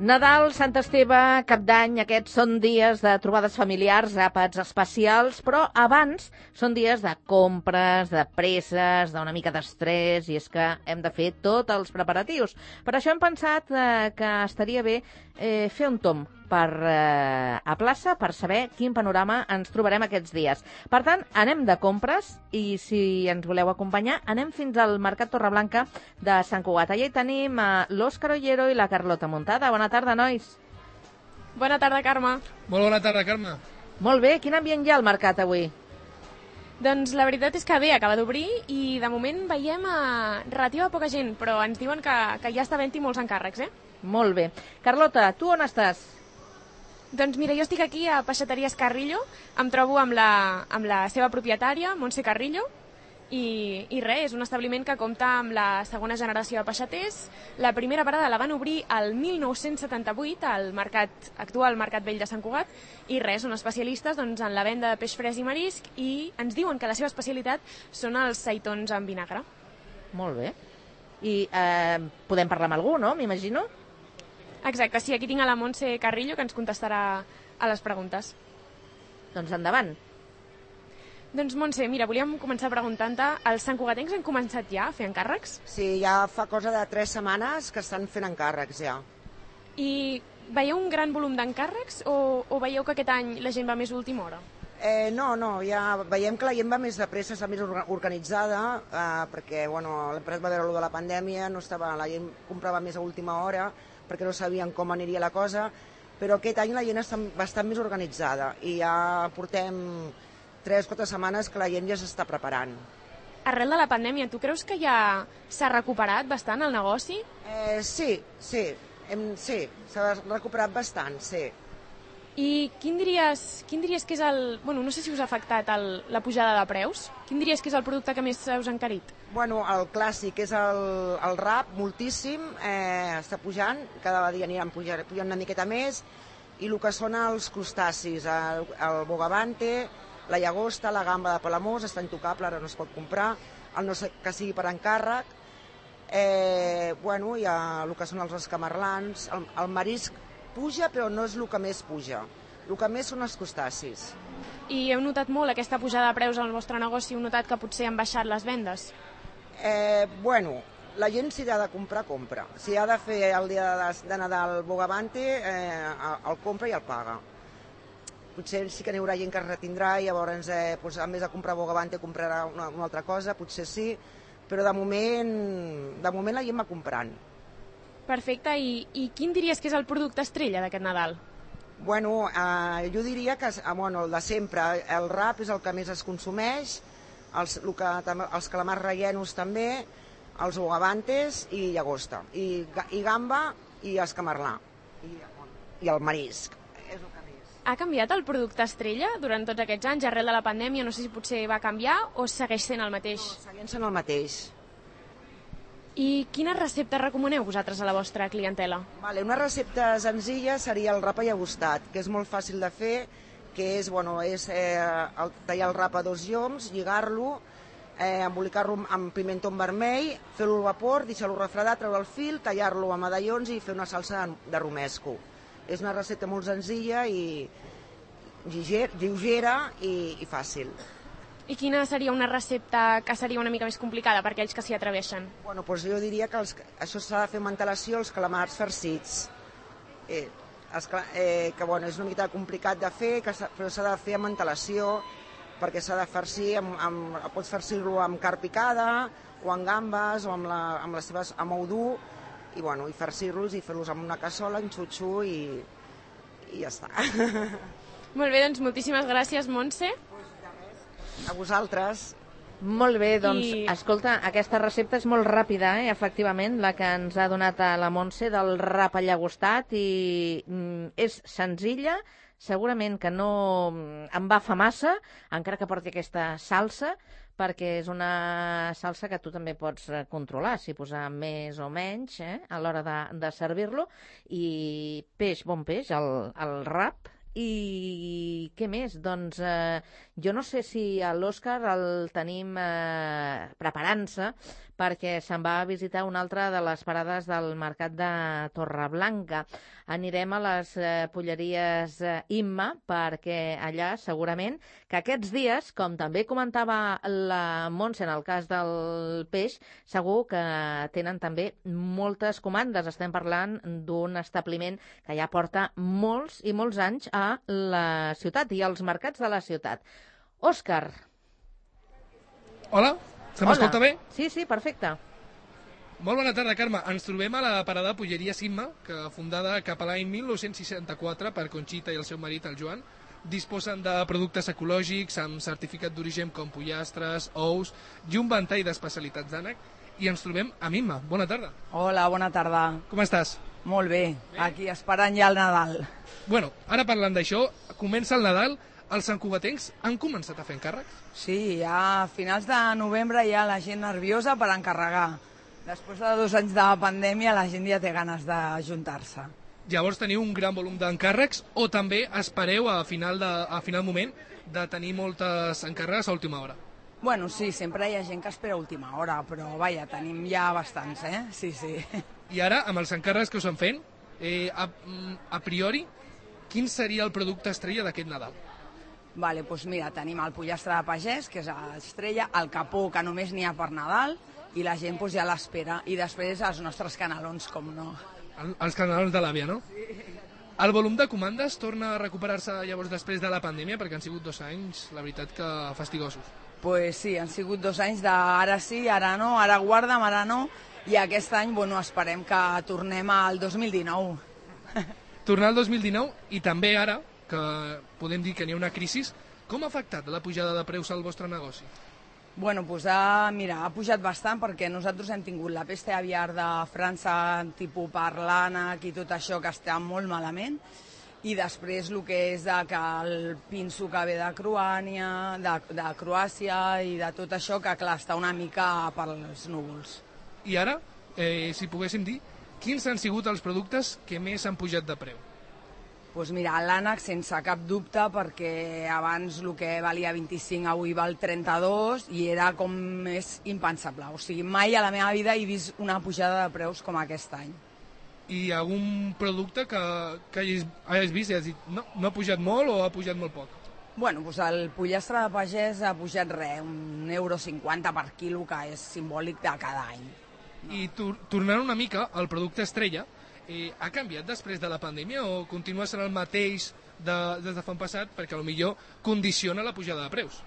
Nadal, Sant Esteve, Cap d'Any, aquests són dies de trobades familiars, àpats especials, però abans són dies de compres, de presses, d'una mica d'estrès, i és que hem de fer tots els preparatius. Per això hem pensat que estaria bé fer un tomb a plaça per saber quin panorama ens trobarem aquests dies. Per tant, anem de compres i si ens voleu acompanyar, anem fins al Mercat Torreblanca de Sant Cugat. Allà hi tenim l'Òscar Ollero i la Carlota Muntada. Bona tarda, nois. Bona tarda, Carme. Molt bona tarda, Carme. Molt bé, quin ambient hi ha al mercat avui? Doncs la veritat és que bé, acaba d'obrir i de moment veiem relativa poca gent, però ens diuen que ja està havent-hi molts encàrrecs, Molt bé. Carlota, tu on estàs? Doncs mira, jo estic aquí a Peixateries Carrillo, em trobo amb la seva propietària, Montse Carrillo, i res, és un establiment que compta amb la segona generació de peixaters. La primera parada la van obrir el 1978 al actual Mercat Vell de Sant Cugat, i res, són especialistes en la venda de peix fresc i marisc, i ens diuen que la seva especialitat són els seitons amb vinagre. Molt bé. I podem parlar amb algú, no? M'imagino? Exacte, sí, aquí tinc a la Montse Carrillo que ens contestarà a les preguntes. Doncs endavant. Doncs Montse, mira, volíem començar preguntant-te, els santcugatencs han començat ja a fer encàrrecs? Sí, ja fa cosa de 3 setmanes que estan fent encàrrecs ja. I veieu un gran volum d'encàrrecs o veieu que aquest any la gent va més a última hora? No, ja veiem que la gent va més de pressa, està més organitzada, perquè l'empresa va veure allò de la pandèmia, la gent comprava més a última hora, perquè no sabien com aniria la cosa, però aquest any la gent està bastant més organitzada i ja portem 3 o 4 setmanes que la gent ja s'està preparant. Arrel de la pandèmia, tu creus que ja s'ha recuperat bastant el negoci? Sí, s'ha recuperat bastant, sí. I quin diries que és no sé si us ha afectat la pujada de preus? Quin diries que és el producte que més us ha encarit? El clàssic és el rap, moltíssim, està pujant, cada dia aniran pujant una miqueta més, i el que són els crustacis, el bogavante, la llagosta, la gamba de Palamós, està intocable, ara no es pot comprar, el no sé que sigui per encàrrec, hi ha el que són els escamarlans, el marisc puja, però no és el que més puja, el que més són els crustacis. I heu notat molt aquesta pujada de preus al vostre negoci? Heu notat que potser han baixat les vendes? La gent si ha de comprar, compra. Si ha de fer el dia de Nadal bogavante, el compra i el paga. Potser sí que n'hi haurà gent que es retindrà i llavors, en vez de comprar bogavante, comprarà una altra cosa, potser sí, però de moment la gent va comprant. Perfecte, i quin diries que és el producte estrella d'aquest Nadal? Jo diria que el de sempre, el rap és el que més es consumeix, els calamars rellenos també, els bogavantes i llagosta, i gamba i escamarlà, i el marisc. És el que més. Ha canviat el producte estrella durant tots aquests anys, arrel de la pandèmia? No sé si potser va canviar o segueix sent el mateix? No, segueix sent el mateix. I quines receptes recomaneu vosaltres a la vostra clientela? Una recepta senzilla seria el rap allagostat, que és molt fàcil de fer, que és tallar el rap a 2 lloms, lligar-lo, embolicar-lo amb pimentó vermell, fer-lo al vapor, deixar-lo refredar, treure el fil, tallar-lo a medallons i fer una salsa de romesco. És una recepta molt senzilla i lleugera i fàcil. I quina seria una recepta que seria una mica més complicada per aquells que s'hi atreveixen? Jo diria que això s'ha de fer amb antelació, els calamars farcits. És una mica complicat de fer, però s'ha de fer amb antelació, perquè s'ha de farcir, pots farcir-lo amb carn picada, o amb gambes, o amb les seves amb ou dur, i farcir-los i fer-los amb una cassola, en xutxu, i ja està. Molt bé, doncs moltíssimes gràcies, Montse. A vosaltres. Molt bé, escolta, aquesta recepta és molt ràpida, efectivament, la que ens ha donat a la Montse del rap allagostat, i és senzilla, segurament que no em va fa massa, encara que porti aquesta salsa, perquè és una salsa que tu també pots controlar, si posar més o menys a l'hora de servir-lo, i bon peix, el rap. I què més? Doncs jo no sé si l'Òscar el tenim preparant-se perquè se'n va a visitar una altra de les parades del mercat de Torreblanca. Anirem a les polleries Imma, perquè allà segurament que aquests dies, com també comentava la Montse en el cas del peix, segur que tenen també moltes comandes. Estem parlant d'un establiment que ja porta molts i molts anys a la ciutat i als mercats de la ciutat. Òscar. Hola, se m'escolta bé? Sí, sí, perfecte. Molt bona tarda, Carme. Ens trobem a la parada Polleria Imma, que fundada cap a l'any 1964 per Conxita i el seu marit, el Joan, disposen de productes ecològics amb certificat d'origen com pollastres, ous i un ventall d'especialitats d'ànec. I ens trobem amb Imma. Bona tarda. Hola, bona tarda. Com estàs? Molt bé, aquí esperant ja el Nadal. Bueno, ara parlant d'això, comença el Nadal, els santcugatencs han començat a fer encàrrecs? Sí, ja a finals de novembre hi ha la gent nerviosa per encarregar. Després de 2 anys de pandèmia la gent ja té ganes d'ajuntar-se. Llavors teniu un gran volum d'encàrrecs o també espereu a final moment de tenir moltes encàrregues a última hora? Bueno, sí, sempre hi ha gent que espera a última hora, però vaja, tenim ja bastants, Sí, sí. I ara, amb els encàrrecs que us han fent, a priori, quin seria el producte estrella d'aquest Nadal? Vale, doncs mira, tenim el pollastre de pagès, que és l'estrella, el capó, que només n'hi ha per Nadal, i la gent doncs, ja l'espera. I després els nostres canelons, com no. Els canelons de l'àvia, no? Sí. El volum de comandes torna a recuperar-se llavors després de la pandèmia, perquè han sigut 2 anys, la veritat, que fastigosos. Pues sí, han sigut 2 anys d'ara sí, ara no, ara guarda'm, ara no, i aquest any, bueno, esperem que tornem al 2019. Tornar al 2019 i també ara, que podem dir que n'hi ha una crisi, com ha afectat la pujada de preus al vostre negoci? Bueno, doncs mira, ha pujat bastant perquè nosaltres hem tingut la peste aviar de França, tipus per l'ànec i tot això, que està molt malament, i després el que és que el pinso que ve de Croàcia i de tot això, que clar, està una mica per els núvols. I ara, si poguéssim dir, quins han sigut els productes que més han pujat de preu? Doncs mira, l'ànec sense cap dubte, perquè abans el que valia 25 avui val 32 i era com més impensable. O sigui, mai a la meva vida he vist una pujada de preus com aquest any. I algun producte que hagis vist i has dit no ha pujat molt o ha pujat molt poc? Bueno, doncs el pollastre de pagès ha pujat €1,50 per quilo, que és simbòlic de cada any. No. I tornant una mica al producte estrella, ha canviat després de la pandèmia o continua sent el mateix des de fa un passat perquè potser condiciona la pujada de preus?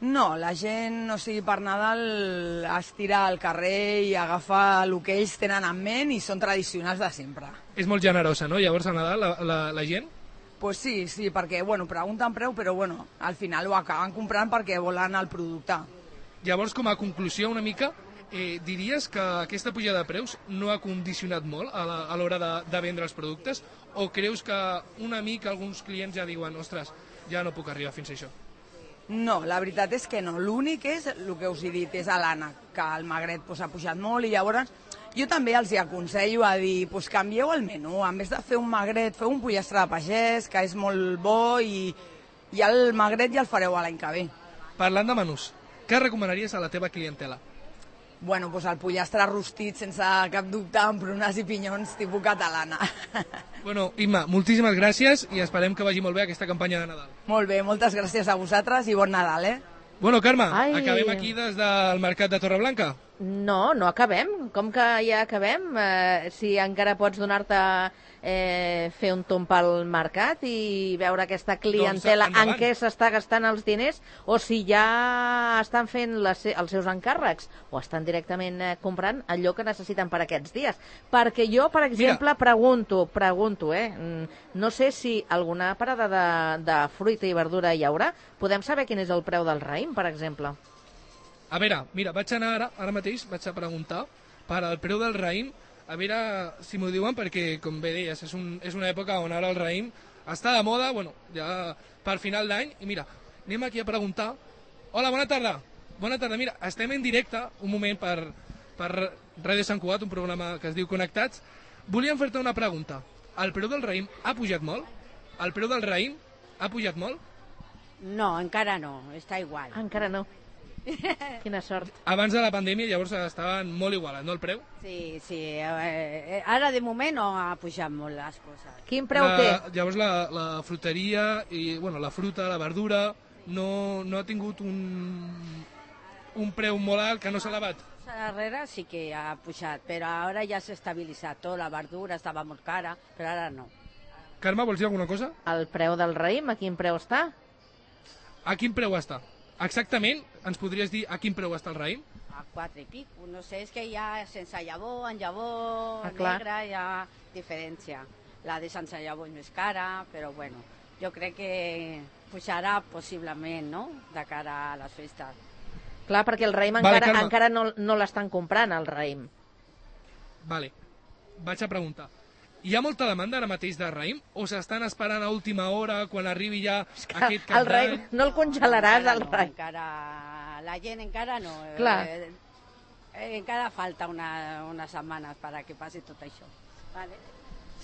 No, la gent, o sigui, per Nadal es tira al carrer i agafa el que ells tenen en ment i són tradicionals de sempre. És molt generosa, no? Llavors a Nadal la gent? Pues sí, perquè pregunten preu, però al final ho acaben comprant perquè volen el producte. Llavors, com a conclusió una mica, diries que aquesta pujada de preus no ha condicionat molt a l'hora de vendre els productes o creus que una mica alguns clients ja diuen ostres, ja no puc arribar fins a això? No, la veritat és que no. L'únic és, el que us he dit, és l'ànec, que el magret ha pujat molt i llavors jo també els aconsello a dir canvieu el menú, en vez de fer un magret, feu un pollastre de pagès, que és molt bo i el magret ja el fareu l'any que ve. Parlant de menús, què recomanaries a la teva clientela? Bueno, doncs el pollastre rostit sense cap dubte amb prunes i pinyons tipus catalana. Bueno, Imma, moltíssimes gràcies i esperem que vagi molt bé aquesta campanya de Nadal. Molt bé, moltes gràcies a vosaltres i bon Nadal, Bueno, Carme, acabem aquí des del Mercat de Torreblanca? No acabem. Com que ja acabem? Si encara pots donar-te fer un tomb pel mercat i veure aquesta clientela en què s'està gastant els diners o si ja estan fent els seus encàrrecs o estan directament comprant allò que necessiten per aquests dies. Perquè jo, per exemple, pregunto, no sé si alguna parada de fruita i verdura hi haurà. Podem saber quin és el preu del raïm, per exemple? A veure, mira, vaig anar ara mateix, vaig a preguntar per al preu del raïm, a veure si m'ho diuen, perquè, com bé deies, és una època on ara el raïm està de moda, ja per final d'any, i mira, anem aquí a preguntar. Hola, bona tarda. Bona tarda, mira, estem en directe, un moment, per Ràdio Sant Cugat, un programa que es diu Connectats. Volíem fer-te una pregunta. El preu del raïm ha pujat molt? El preu del raïm ha pujat molt? No, encara no, està igual. Encara no. Quina sort. Abans de la pandèmia, llavors estaven molt igualats, no, el preu? Sí. Ara de moment no ha pujat molt les coses. Quin preu té? Llavors la fruteria i la fruta, la verdura, no ha tingut un preu molt alt que no s'ha elevat? Darrere sí que ha pujat, però ara ja s'ha estabilitzat tot. La verdura estava molt cara, però ara no. Carme, vols dir alguna cosa? El preu del raïm, a quin preu està? A quin preu està? Exactament, ens podries dir a quin preu està el raïm? A 4 i pico, no sé, és que hi ha sense llavor, en llavor, clar. negra, hi ha diferència. La de sense llavor és més cara, però bueno, jo crec que pujarà possiblement, no?, de cara a les festes. Clar, perquè el raïm encara no l'estan comprant, el raïm. Vale, vaig a preguntar. Hi ha molta demanda ara mateix de raïm o s'estan esperant a última hora quan arribi ja aquest cap El raïm, no el congelaràs, el raïm. La gent encara no. Clar. Encara falta unes setmanes perquè passi tot això. Vale.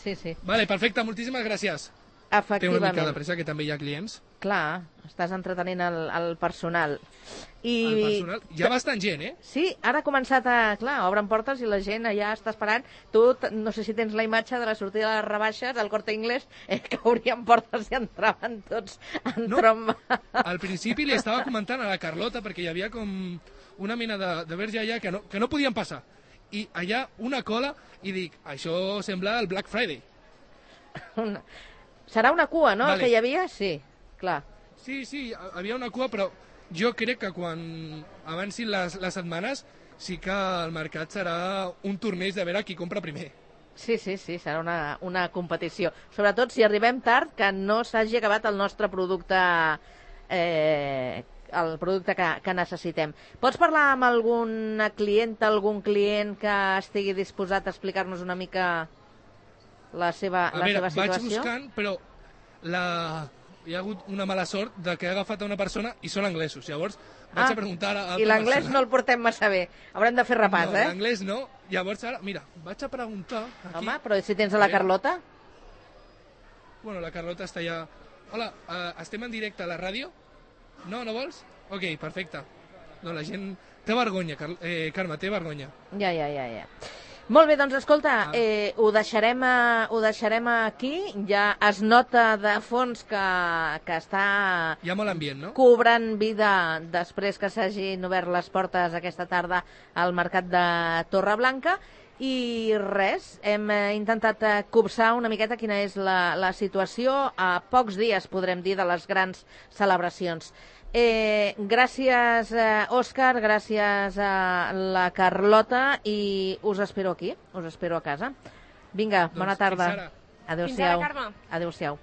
Sí. Vale, perfecte, moltíssimes gràcies. Té una mica de Efectivament. pressa, que també hi ha clients. Clar, estàs entretenint el personal. El personal, hi ha bastant gent, Sí, ara ha començat Clar, obren portes i la gent allà està esperant. Tu, no sé si tens la imatge de la sortida de les rebaixes del Corte Inglés, que obrien portes i entraven tots en tromba. Al principi li estava comentant a la Carlota, perquè hi havia com una mena de verge allà que no podien passar. I allà una cola, i dic, això sembla el Black Friday. Serà una cua, no, Vale. que hi havia? Sí, clar. Sí, havia una cua, però jo crec que quan avancin les setmanes sí que el mercat serà un torneig de veure qui compra primer. Sí, serà una competició. Sobretot si arribem tard, que no s'hagi acabat el nostre producte, el producte que necessitem. Pots parlar amb alguna clienta, algun client que estigui disposat a explicar-nos una mica la seva situació? Vaig buscant, però hi ha hagut una mala sort de que he agafat a una persona i són anglesos. Llavors vaig a preguntar a l'altra i l'anglès persona. no el portem massa bé. Haurem de fer repàs, No, l'anglès no. Llavors ara, mira, vaig a preguntar aquí. Home, però si tens a la Carlota? Bueno, la Carlota està allà. Hola, estem en directe a la ràdio? No vols? Ok, perfecte. No, la gent té vergonya, Carme, té vergonya. Ja. Molt bé, doncs escolta, ho deixarem aquí. Ja es nota de fons que està Hi ha molt ambient, no? cobrant vida després que s'hagin obert les portes aquesta tarda al mercat de Torreblanca. I res, hem intentat copsar una miqueta quina és la situació a pocs dies, podrem dir, de les grans celebracions. Gràcies, Òscar, gràcies a la Carlota i us espero aquí, us espero a casa. Vinga, bona tarda. Fins ara. Adéu-siau. Fins ara, Carme. Adéu-siau.